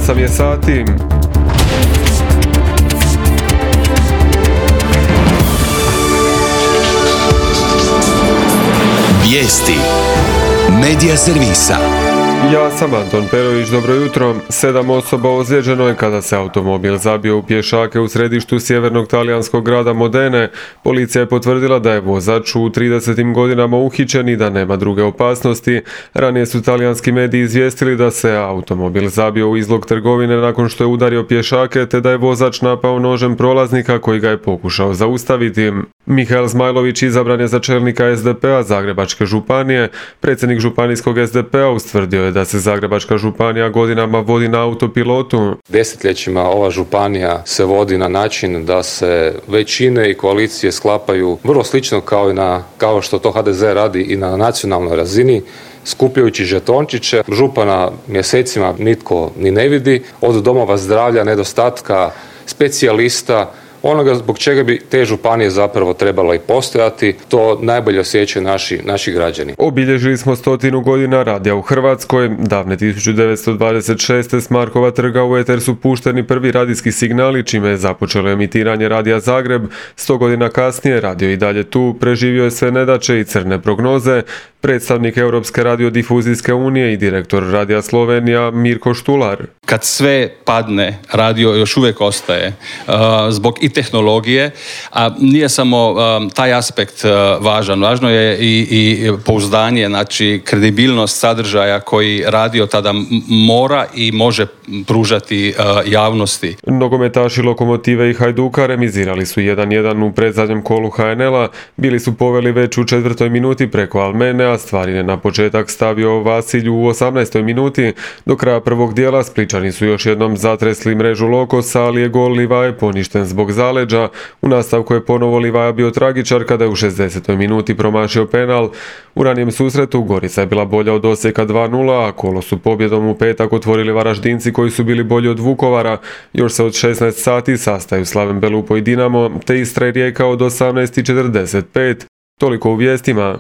8 je sati. Vijesti Medija servisa. Ja sam Anton Perović, dobro jutro. 7 osoba ozlijeđeno je kada se automobil zabio u pješake u središtu sjevernog talijanskog grada Modene. Policija je potvrdila da je vozač u 30. godinama uhićen i da nema druge opasnosti. Ranije su talijanski mediji izvijestili da se automobil zabio u izlog trgovine nakon što je udario pješake, te da je vozač napao nožem prolaznika koji ga je pokušao zaustaviti. Mihael Zmajlović izabran je za čelnika SDP-a Zagrebačke županije. Predsjednik županijskog SDP-a ustvrdio je da se Zagrebačka županija godinama vodi na autopilotu. Desetljećima ova županija se vodi na način da se većine i koalicije sklapaju vrlo slično kao što to HDZ radi i na nacionalnoj razini, skupljajući žetončiće. Župana mjesecima nitko ni ne vidi, od domova zdravlja, nedostatka specijalista, onoga zbog čega bi te županije zapravo trebalo i postojati, to najbolje osjećaju naši građani. Obilježili smo 100 godina radija u Hrvatskoj. Davne 1926. s Markova trga u eter su pušteni prvi radijski signali, čime je započelo emitiranje Radija Zagreb. 100 godina kasnije radio i dalje tu, preživio je sve nedaće i crne prognoze. Predstavnik Europske radiodifuzijske unije i direktor Radija Slovenija Mirko Štular. Kad sve padne, radio još uvijek ostaje zbog i tehnologije, a nije samo taj aspekt važan. Važno je i pouzdanje, znači kredibilnost sadržaja koji radio tada mora i može pružati javnosti. Nogometaši Lokomotive i Hajduka remizirali su 1-1 u predzadnjem kolu HNL-a. Bili su poveli već u 4. minuti preko Almene, a stvari je na početak stavio Vasilju u 18. minuti. Do kraja prvog dijela Spličani su još jednom zatresli mrežu Lokosa, ali je gol Livaje poništen zbog zaleđa. U nastavku je ponovo Livaja bio tragičar kada je u 60. minuti promašio penal. U ranijem susretu Gorica je bila bolja od Osijeka 2-0, a kolo su pobjedom u petak otvorili Varaždinci koji su bili bolji od Vukovara. Još se od 16 sati sastaju Slaven Belupo i Dinamo, te Istra i Rijeka od 18:45. Toliko u vijestima.